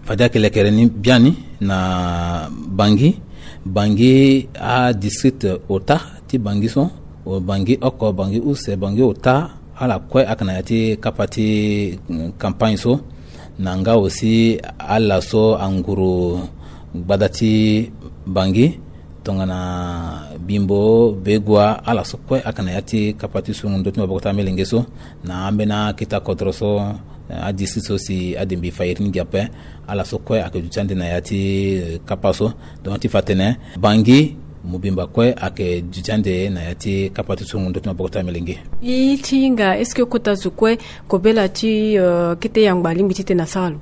Fade ayeke lekere ni biani na Bangui. Bangui adistrict ota ti Bangui so, o Bangui oko, Bangui use, Bangui ota, ala kue ayeke na ya ti kapa ti, mm, campagne so. Na nga aussi ala so anguru gbada ti Bangui, tongana Bimbo, Begua, ala so kue ayeke na ya ti kapa ti sungu ndö ti maboko ti amelenge so. Na ambeni akete kodro so, eh, adistrict so si adembe fa iri ni gi ape, ala so kue ayeke duti ande na ya ti, eh, kapa so. Donc ti fa tene Bangui mobimba kue ayeke duti ande na ya ti kapa ti sungu ndö ti maboko ti amelenge. E ti hinga, est-ce que kota zo kue kobela ti, euh, kete yangba alingbi titene asara lo?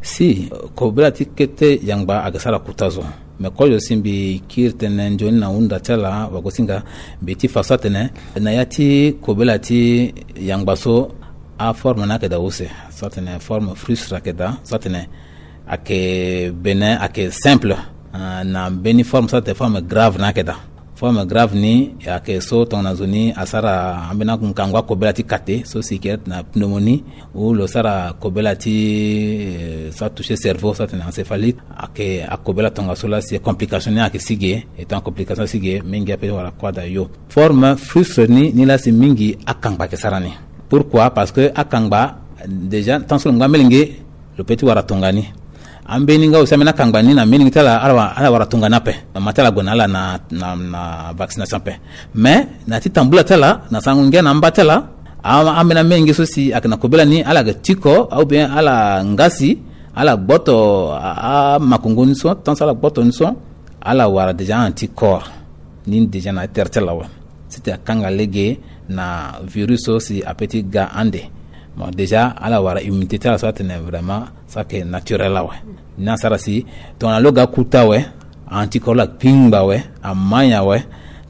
Si, euh, kobela ti kete yangba ayeke sara kota zo. Mais kozo si mbi kiri tënë nzoni na hunda ti ala wagosinga, mbi ti fa so atene na ya ti kobela ti yangba so, aforme ni ayeke daa use. So atene forme frustre ayeke daa. So atene ayeke bene, ayeke simple. Ah, na mbeni forme so atene forme grave ni ayeke daa. Forme grave ni ayeke so tongana zo ni asara ambeni angangu akobela ti kate so si e yeke na pneumonie, ou lo sara kobela ti, eh, so atouché cerveau, so atene encéphalite. Ayeke akobela tongaso laa si complication ni ayeke si ge, e tongana complication si ge, mingi ape wara kuâ daa yo. Forme frustre ni, ni laa si mingi akangba ayeke sara ni. Pourquoi? Parce que akangba, déjà, tant so lo ngba amelenge, lo peut ti wara tongana ni. Ambeni nga aussi ambeni akangba ni na amelenge ti ala, ala wa-, ala wara tongana ni ape. Mama ti ala gue na ala na, na, na vaccination ape. Mais na ti tambula ti ala, na sango ngia na amba ti ala, a-, ambeni amelenge so si ayeke na kobela ni, ala yeke tiko, ou bien ala ngasi, ala gboto a, amakongo ni so, tant so ala gboto ni so, ala wara déjà anticorps ni déjà na tere ti ala awe. Sitene akanga lege na virus so si apeut ti ga ande. Bon, déjà ala wara immunité ti ala so atene vraiment so ayeke naturel awe. Ni asara si tongana lo ga kota awe, anticorps la akpingba awe, amai awe.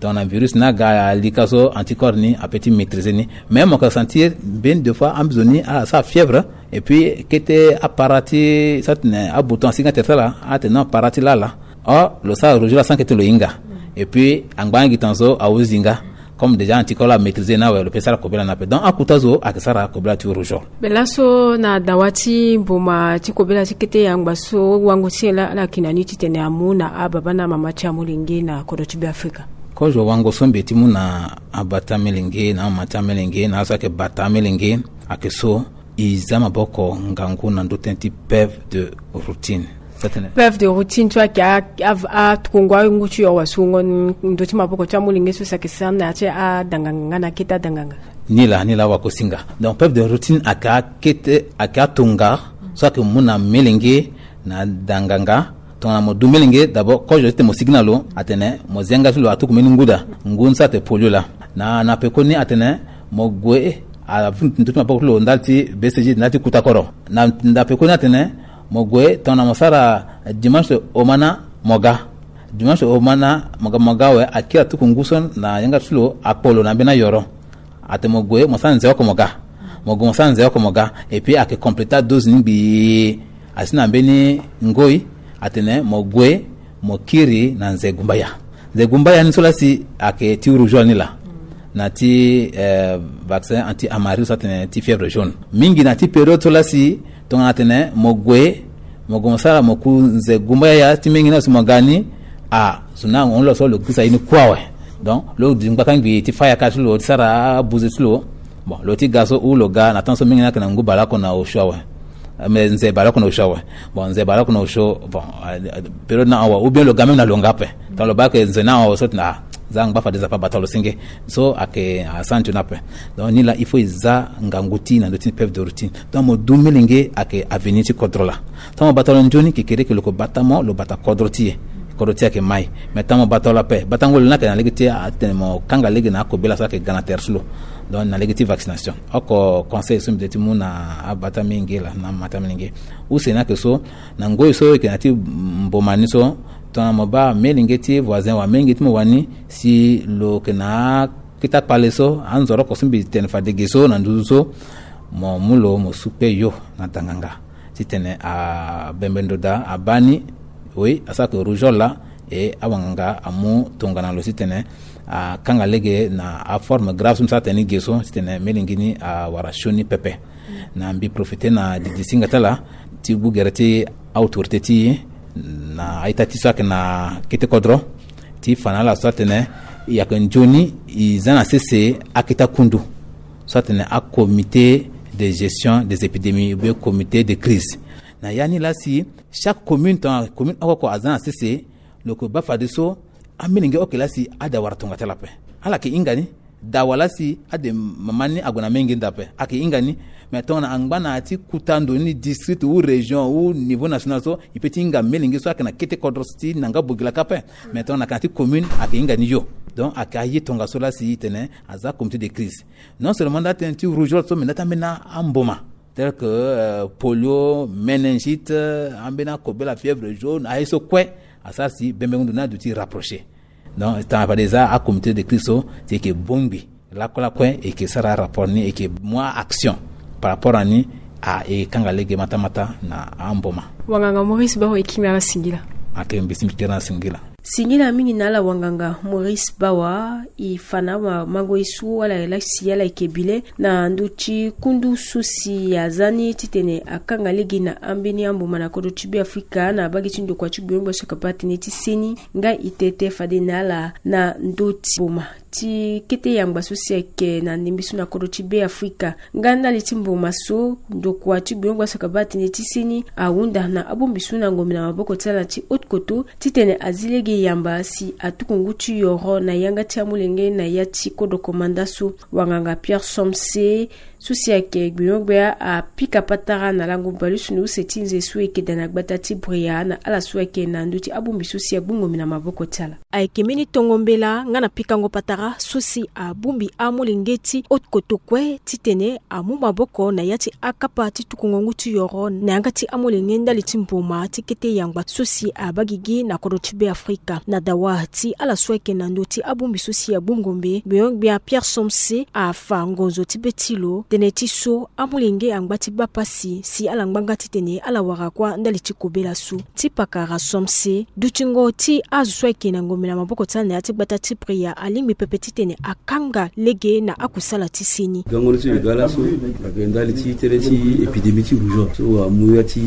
Donc na virus ni aga alika so, anticorps ni ape ti maîtriser ni. Mais mo ka sentir mbeni deux fois ambizo ni asara fièvre, et puis kete apara ti sa tene abouton asi nga tere ti ala, atene non, apara ti lala. Or lo sara rougeole sans kete lo hinga. Et puis angba nga gi tan so ahuzi nga. Comme déjà anticorps la amaîtriser ni awe, lo pe sara kobela ni ape. Donc akuta zo ayeke sara kobela ti rougeole. Be laso na dawa ti mboma ti kobela ti kete yangba so wango ti e la, ala yeke na ni titene amu na ababa na amama ti amolenge na kodro ti Beafrika. Kozo wango so mbi ye ti mu na ababa ti amolenge na amama ti amolenge na ala so ayeke bata amolenge ayeke so, e za maboko ngangu na ndö tënë ti peuve de routine. Sa tene peuve de routine so ayeke a- a- atukongo angu ti yoro wa so ngo ndö ti maboko ti amolenge so si ayeke sara na ya ti adanganga nga na kete adanganga. Ni laa, ni laa wa kosinga. Donc peuve de routine ayeke akete, ayeke atonga so ayeke mu na melenge na danganga. Tongana mo du melenge d'abord, kozo ti tene mo sigi na lo atene mo zi yanga ti lo atuku mbeni ngu daa. Ngu ni so atene polio laa. Na na pekoni atene mo gue, avu ndö ti maboko ti lo ndali ti B C G ndali ti kuta kodro. Na na pekoni atene mo gue tongana mo sara dimanche omana mo ga. Dimanche omana mo ga, mo ga awe akiri atuku ngu so na yanga ti lo akpo lo na mbeni ayoro. Atene mo gue mo sara nze oko mo ga. Mo gue mo sara nze oko mo ga. Et puis ayeke completa dose ni ngbii. Asi na mbeni ngoi atene mo gue mo kiri na nze gumbaya. Nze gumbaya ni so laa si ayeke ti rougeole ni laa. Na ti eh, vaccin anti amaril so atene ti fièvre jaune. Mingi na ti période so laa si tongana atene mo gue, mo gue mo sara mo ku nze gumbaya ti mingi ni awe si mo ga ni. Ah, zo ni ahon lo so lo gisa ye ni kue awe. Donc lo di ngbaka ngbii ti fâ yaka ti lo ti sara abuze ti lo. Bon, lo ti ga so ou lo ga na temps so mingi ni ayeke na ngu baleoko na osio awe. Mais nze baleoko na osio awe. Bon, nze baleoko na osio, bon, eh, eh, période ni ahon awe, ou bien lo ga même na lo nga ape. Tongana lo baa ayeke nze ni ahon awe so tene ah, za ngba fade Nzapa abata lo senge. So ayeke asara nzoni ape. Donc ni laa il faut e za ngangu ti e na ndö ti peuve de routine. Donc mo du melenge ayeke avenir ti kodro laa. Tongana mo bata lo nzoni kekere ke lo ko bata mo, lo bata kodro ti e. Kodro ti e ayeke mai. Mais tongana mo bata lo ape, batango lo ni ayeke na lege ti atene mo kanga lege na akobela so ayeke ga na tere ti lo. Donc na lege ti vaccination. Oko conseil so mbi de ti mu na abata mingi laa na amata mingi. Use ni ayeke so, na ngoi so e yeke na ya ti mboma ni so, tongana mo baa melenge ti voisin wala melenge ti mo wani, si lo yeke na akete akpale so, anzoro oko so mbi tene fade ge so na nduzu so, mo mu lo mo su kpe yo na danganga. Titene abembe ndo daa abaa ni, oui, asara ke rougeole laa, e awanganga amu tongana lo titene akanga lege na aforme grave so mbi sara tene ni ge so, titene melenge ni awara sioni pepe. Na mbi profite na didi singa ti ala ti gbu gere ti autorité ti e na a-ita ti so ayeke na kete kodro ti fa na ala so atene e yeke nzoni e za na sese akete akundu so atene acomité de gestion des épidémies ou bien comité de crise. Na ya ni laa si chaque commune, tongana commune oko oko aza na sese, lo yeke baa fadeso amolenge oke laa si ade awara tonga ti ala ape. Ala yeke hinga ni. Dawa laa si ade mama ni ague na menge nda ape, ayeke hinga ni. Mais tongana angba na ya ti kuta ndo ni district ou région ou niveau national so, e peut ti hinga melenge so ayeke na kete kodro so ti na nga bogila kâ ape. Mais tongana ayeke na ya ti commune, ayeke hinga ni yo. Donc ayeke aye tongaso laa si e tene aza comité de crise. Non seulement nda ti tënë ti rougeole so, mais nda ti ambeni amboma tel que euh, polio, méningite, euh, ambeni akobela, fièvre jaune, aye so kue asara si bembengo ndo ni aduti rapproché. Donc tongana fade e za acomité de crise so, si e yeke bongbi lakue lakue, e yeke sara rapport ni, e yeke mu action par rapport na ni. A e kanga lege mata mata na amboma. Wanganga Maurice Bawa, e kiri na ala singila. Ake mbi si mbi kiri na ala singila. Singila mingi na ala wanganga Maurice Bawa, e fa na awa mango ye so ala yeke lasi ala yeke bi le na ndö ti kundu so si aza ni titene akanga lege na ambeni amboma na kodro ti Beafrika na mbage ti ndokua ti gbenyo-gbia so ayeke baa tënë ti seni. Nga e tete fade na ala na ndö ti mboma ti kete yangba so si ayeke na ndembe so na kodro ti Beafrika. Nga ndali ti mboma so, ndokua ti gbenyo-gbia so ayeke baa tënë ti seni ahunda na abongbi so na ngombe na maboko ti ala ti haute koto titene azi lege yamba si atuku ngu ti yoro na yanga ti amolenge na ya ti kodro komanda so. Wanganga Pierre Somse So si ayeke gbenyo-gbia apika patara na lango baleuse ni use ti nze so eke daa na gbata ti Bria na ala so ayeke na ndö ti abongbi so si agbu ngombe na maboko ti ala. Ayeke mbeni tongo mbela nga na pikango patara so si abongbi amolenge ti haute-kotoko kue titene amu maboko na ya ti akapa ti tuku ngongu ti yoro na yanga ti amolenge ndali ti mboma ti kete yangba so si abaa gigi na kodro ti Be Afrika. Na dawa ti ala so ayeke na ndö ti abongbi so si agbu ngombe, gbenyo-gbia Pierre Somse afa ngonzo ti be ti lo tënë ti so amolenge angba ti baa pasi si ala ngba nga titene ala wara kuâ ndali ti kobela so. Ti pakara Somse, dutingo ti azo so ayeke na ngombe na maboko ti ala na ya ti gbata ti Bria alingbi pepe titene akanga lege na akusala ti seni. Gango ni so e ga laso ayeke ndali ti tënë ti épidémie ti rougeole so amu ya ti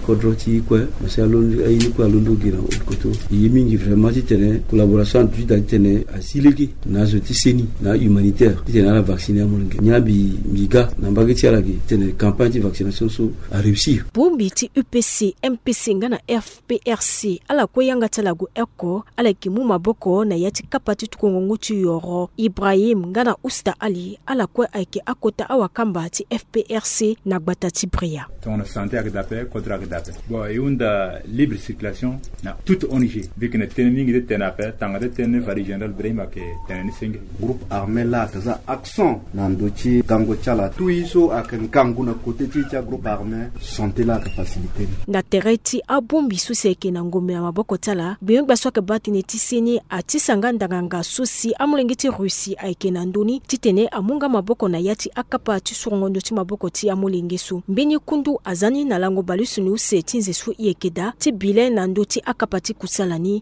kodro ti kue, mo si alondo aye ni kue alondo gi na haute-kotoko. E ye mingi vraiment titene collaboration adu ti daa titene asi lege na azo ti seni na humanitaire titene ala vacciner amolenge. Nyen mbi mbi ga na mbage ti ala ge titene campagne ti vaccination so aréussir. Bongbi ti U P C, M P C nga na F P R C, ala kue yanga ti ala gue oko, ala yeke mu maboko na ya ti kapa ti tuku ngongu ti yoro. Ibrahim nga na Usta Ali, ala kue ayeke akota awakamba ti F P R C na gbata ti Bria. Tongana santé ayeke daa ape, kodro ayeke daa ape. Bon, e hunda libre circulation na toute O N G. Mbi yeke na tënë mingi ti tene ape, tanga ti tënë ni Valise Général Ibrahim ayeke tene ni senge. Groupe armé laa ayeke za accent na ndö ti gango ti ala. Tout ye so ayeke ngangu na côté ti ti agroupe armé, santé laa ayeke facilité ni. Na tere ti abongbi so si ayeke na ngombe na maboko ti ala, gbenyo-gbia so ayeke baa tënë ti seni atisa nga ndanganga so si amolenge ti Russie ayeke na ndö ni titene amu nga maboko na ya ti akapa ti surongo ndö ti maboko ti amolenge so. Mbeni kundu aza ni na lango baleuse ni use ti nze so e yeke daa ti bi le na ndö ti akapa ti kusala ni.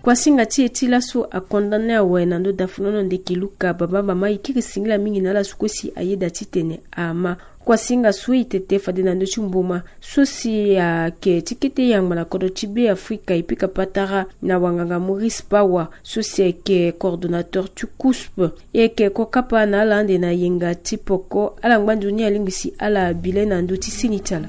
Kuasinga ti e ti laso akondane awe na ndö dafunono ndeke Luka Bamba Mama, e kiri singila mingi na ala so kue si ayeda titene ama. Kuasinga so e tete fade na ndö ti mboma so si ayeke ti kete yangba na kodro ti Be Afrika e pika patara na wanganga Maurice Pawa so si ayeke coordonnateur ti COUSP. E yeke kokapa na ala ande na yenga ti poko, ala ngba nzoni alingbi si ala bi le na ndö ti seni ti ala.